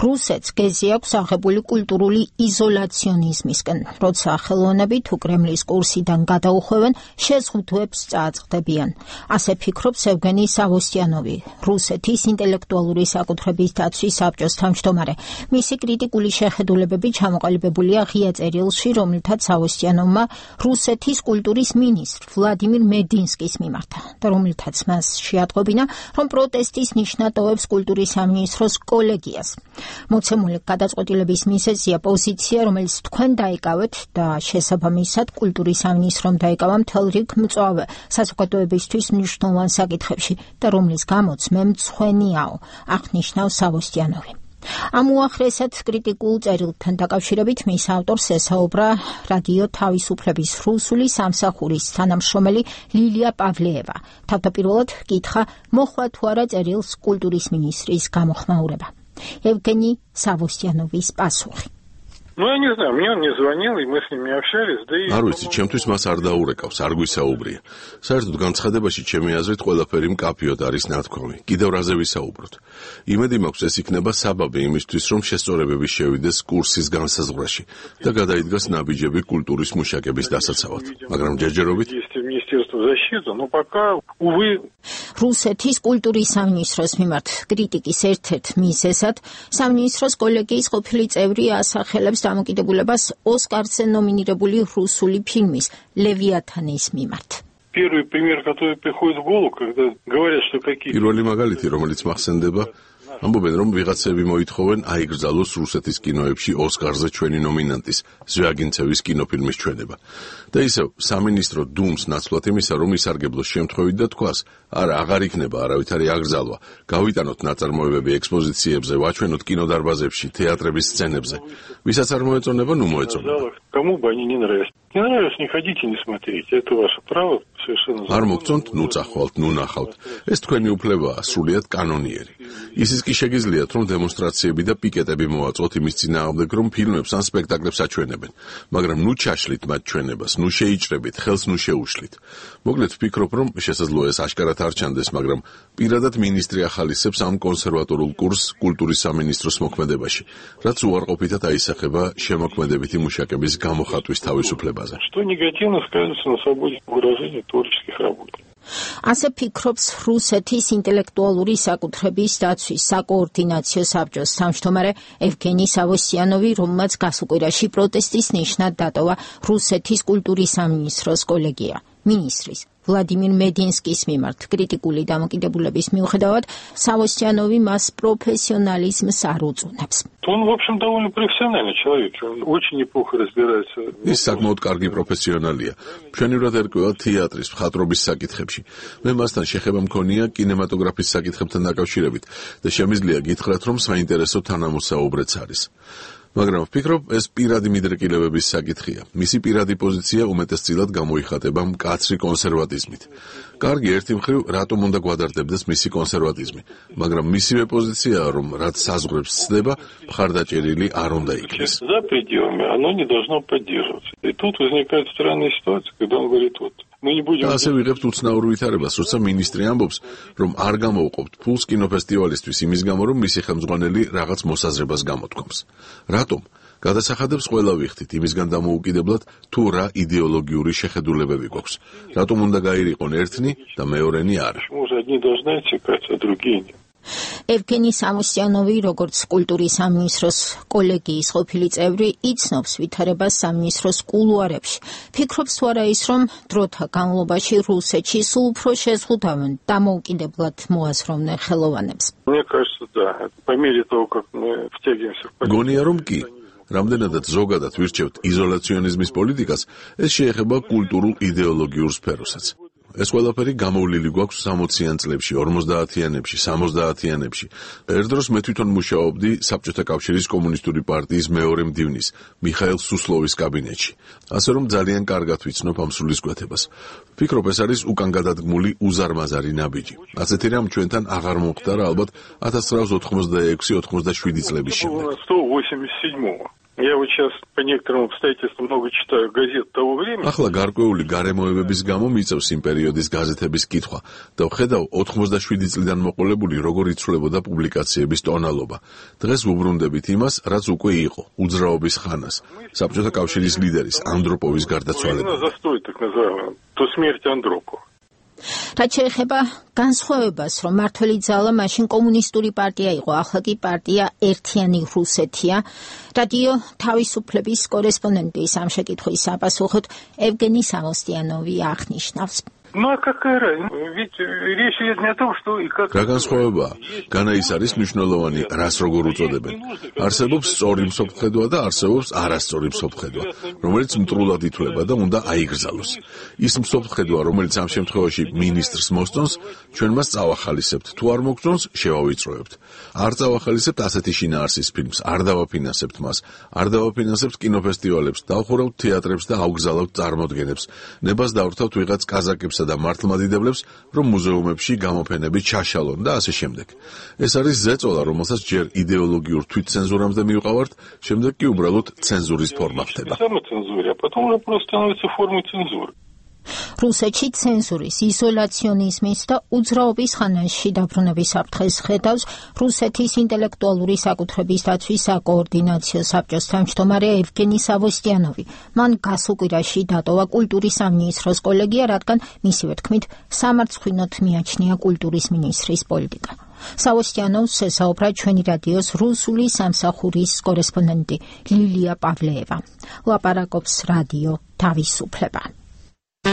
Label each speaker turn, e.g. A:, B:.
A: რუსეთს გეზი აქვს აღებული კულტურული იზოლაციონიზმისკენ, როცა ხელოვნები თუ კრემლის კურსიდან გადაუხვევენ, შეზღუდვებს წააწყდებიან. ასე ფიქრობს ევგენი სავოსტიანოვი, რუსეთის ინტელექტუალური საკუთრების დაცვის საბჭოს თავმჯდომარე. მისი კრიტიკული შეხედულებები ჩამოყალიბებულია ღია წერილში, რომელთაც სავოსტიანოვმა რუსეთის კულტურის მინისტრ ვლადიმირ მედინსკის მიმართა და რომელთაც მას შეატყობინა, რომ პროტესტის ნიშნად ტოვებს კულტურის სამინისტროს კოლეგიას. მოცემული გადაწყვეტილების მიზეზია პოზიცია, რომელიც თქვენ დაიკავეთ და შესაბამისად კულტურის სამინისტრომ დაიკავა მთელ რიგ მწვავე საზოგადოებისთვის მნიშვნელოვან საკითხებში და რომლის გამოც მე მცხვენიაო, აღნიშნავს სავოსტიანოვი. ამ უახლესად კრიტიკულ წერილთან დაკავშირებით მის ავტორს ესაუბრა რადიო თავისუფლების რუსული სამსახურის თანამშრომელი ლილია პავლეევა. თავდაპირველად კითხა მოხვა თუ არა წერილს კულტურის მინისტრის გამოხმაურება. ევგენი სავოსტიანოვის პასუხი.
B: Я не знаю, мне он не звонил, и мы с ним не общались, да и...
C: არ ვიცი, ჩემთვის მას არ დაურეკავს, არ გვისაუბრია. საერთოდ განცხადებაში ჩემი აზრით ყველაფერი მკაფიოდ არის ნათქვამი. კიდევ რაზე ვისაუბროთ. იმედი მაქვს, ეს იქნება საბაბი იმისთვის, რომ შესწორებები შევიდეს კურსის განსაზღვრაში და გადაიდგას ნაბიჯები კულტურის მუშაკების დასაცავად. მაგრამ ჯერჯერობით
A: რუსეთის კულტურის სამინისტროს მიმართ კრიტიკის ერთ-ერთ მიზეზად სამინისტროს კოლეგიის ყოფილი წევრი ასახელებს დამოკიდებულებას ოსკარზე ნომინირებული რუსული ფილმის ლევიათანის მიმართ.
C: პირველი მაგალითი, რომელიც მახსენდება, ამბობენ, რომ ვიღაცები მოითხოვენ აიგრძალოს რუსეთის კინოებში ოსკარზე ჩვენი ნომინანტის ზვიაგინცევის კინოფილმის ჩვენება. და ისევ სამინისტრო დუმს ნაცვლად იმისა, რომ ისარგებლოს შემთხვევით და თქვას, არა, აღარ იქნება არავითარი აკრძალვა, გავიტანოთ ნაწარმოებები ექსპოზიციებზე, ვაჩვენოთ კინოდარბაზებში, თეატრების სცენებზე. ვისაც არ მოეწონება, ნუ მოეწონება. არ მოგწონთ, ნუ წახვალთ, ნუ ნახავთ. ეს თქვენი უფლებაა, სრულიად კანონიერი. ისიც კი შეგიძლიათ, რომ დემონსტრაციები და პიკეტები მოაწყოთ იმის წინააღმდეგ, რომ ფილმებს ან სპექტაკლებს აჩვენებენ, მაგრამ ნუ ჩაშლით მათ ჩვენებას, ნუ შეიჭრებით, ხელს ნუ შეუშლით. მოკლედ ვფიქრობ, რომ შესაძლოა ეს აშკარად არ ჩანდეს, მაგრამ პირადად მინისტრი ახალისებს ამ კონსერვატორულ კურსს კულტურის სამინისტროს მოქმედებაში, რაც უარყოფითად აისახება შემოქმედებითი მუშაკების გამოხატვის თავისუფლებაზე.
A: ასე ფიქრობს რუსეთის ინტელექტუალური საკუთრების დაცვის საკოორდინაციო საბჭოს თავმჯდომარე ევგენი სავოსტიანოვი, რომელმაც გასუკვირაში პროტესტის ნიშნად დატოვა რუსეთის კულტურის სამინისტროს კოლეგია. მინისტრის ვლადიმირ მედინსკის მიმართ კრიტიკული დამოკიდებულების მიუხედავად სავოსტიანოვი მას პროფესიონალიზმს არ უწუნებს.
C: ის საკმაოდ კარგი პროფესიონალია. მშვენივრად ერკვევა თეატრის, მხატვრობის საკითხებში. მე მასთან შეხება მქონია კინემატოგრაფის საკითხებთან დაკავშირებით და შემიძლია გითხრათ, რომ საინტერესო თანამოსაუბრეც არის. მაგრამ ვფიქრობ, ეს პირადი მიდრეკილებების საკითხია. მისი პირადი პოზიცია უმეტესწილად გამოიხატება მკაცრი კონსერვატიზმით. კარგი, ერთი მხრივ, რატომ უნდა გვადარდებდეს მისი კონსერვატიზმი, მაგრამ მისივე პოზიციაა, რომ რაც საზღვრებს ცდება, მხარდაჭერილი არ უნდა იქნეს. და ასე ვიღებთ უცნაურ ვითარებას, როცა მინისტრი ამბობს, რომ არ გამოვყოფთ ფულს კინოფესტივალისთვის იმის გამო, რომ მისი ხელმძღვანელი რაღაც მოსაზრებას გამოთქვამს. რატომ? გადასახადებს ყველა ვიხდით, იმისგან დამოუკიდებლად, თუ რა იდეოლოგიური შეხედულებები გვაქვს. რატომ უნდა გაირიყონ ერთნი და მეორენი არა?
A: ევგენი სავოსტიანოვი, როგორც კულტურის სამინისტროს კოლეგიის ყოფილი წევრი, იცნობს ვითარებას სამინისტროს კულუარებში. ფიქრობს თუ არა ის, რომ დროთა განმავლობაში რუსეთში სულ უფრო შეზღუდავენ დამოუკიდებლად მოაზროვნე ხელოვანებს.
C: გონია, რომ კი. რამდენადაც ზოგადად ვირჩევთ იზოლაციონიზმის პოლიტიკას, ეს შეეხება კულტურულ იდეოლოგიურ სფეროსაც. ეს ყველაფერი გამოვლილი გვაქვს 60-იან წლებში, 50-იანებში, 60-იანებში. ერთ დროს მე თვითონ მუშაობდი საბჭოთა კავშირის კომუნისტური პარტიის მეორე მდივნის, მიხაილ სუსლოვის კაბინეტში. ასე რომ ძალიან კარგად ვიცნობ ამ სულისკვეთებას. ვფიქრობ, ეს არის უკან გადადგმული უზარმაზარი ნაბიჯი. ასეთი რამ ჩვენთან აღარ მომხდარა ალბათ 1986-87 წლების შემდეგ.
B: Я вот сейчас по некоторым обстоятельствам много читаю газет того времени.
C: ახლა გარკვეული გარემოებების გამო მიწევს იმ პერიოდის გაზეთების კითხვა და ვხედავ 87 წლიდან მოყოლებული როგორ იცვლებოდა პუბლიკაციების ტონალობა. დღეს ვუბრუნდებით იმას, რაც უკვე იყო, უძრაობის ხანას, საბჭოთა კავშირის ლიდერის ანდროპოვის გარდაცვალება.
B: Застой, так называемый, то смерть Андропова.
A: რაც შეეხება განსხვავებას, რომ მართველი ძალა მაშინ კომუნისტური პარტია იყო, ახლა კი პარტია ერთიანი რუსეთია, რადიო თავისუფლების კორესპონდენტის ამ შეკითხვის საპასუხოდ ევგენი სამოსტიანოვი აღნიშნავს.
B: Ну а какая разница? Ведь речь идет не о том, что и как...
C: რა განსხვავებაა? განა ის არის მნიშვნელოვანი, რას როგორ უწოდებენ. არსებობს სწორი მსოფლმხედვა და არსებობს არასწორი მსოფლმხედვა, რომელიც მტრულად ითვლება და უნდა აიგრძალოს. ის მსოფლმხედვა, რომელიც ამ შემთხვევაში მინისტრს მოსწონს, ჩვენ მას წავახალისებთ. თუ არ მოგწონს, შევავიწროებთ. არ წავახალისებთ ასეთი შინაარსის ფილმს, არ დავაფინანსებთ მას, არ დავაფინანსებთ კინოფესტივალებს, დავხურავთ თეატრებს და ავგზავნებთ წარმოდგენებს. ნებას დავრთავთ ვიღაც კაზაკებს და მართლმადიდებლებს, რომ მუზეუმებში გამოფენები ჩაშალონ და ასე შემდეგ. ეს არის ზეწოლა, რომელსაც ჯერ იდეოლოგიურ თვითცენზურამდე მივყავართ, შემდეგ კი უბრალოდ ცენზურის ფორმა ხდება.
B: Самоцензуре, а потом уже просто становится формой цензуры.
A: რუსეთში ცენზურის, იზოლაციონიზმის და უძრაობის ხანაში დაბრუნების საფრთხეს ხედავს რუსეთის ინტელექტუალური საკუთრების დაცვის საკოორდინაციო საბჭოს თავმჯდომარე ევგენი სავოსტიანოვი. მან გასუკვირაში დატოვა კულტურის სამინისტროს კოლეგია, რადგან მისივე თქმით სამარცხვინოდ მიაჩნია კულტურის მინისტრის პოლიტიკა. სავოსტიანოვს ესაუბრა ჩვენი რადიოს რუსული სამსახურის კორესპონდენტი ლილია პავლეევა. ლაპარაკობს რადიო თავისუფლება.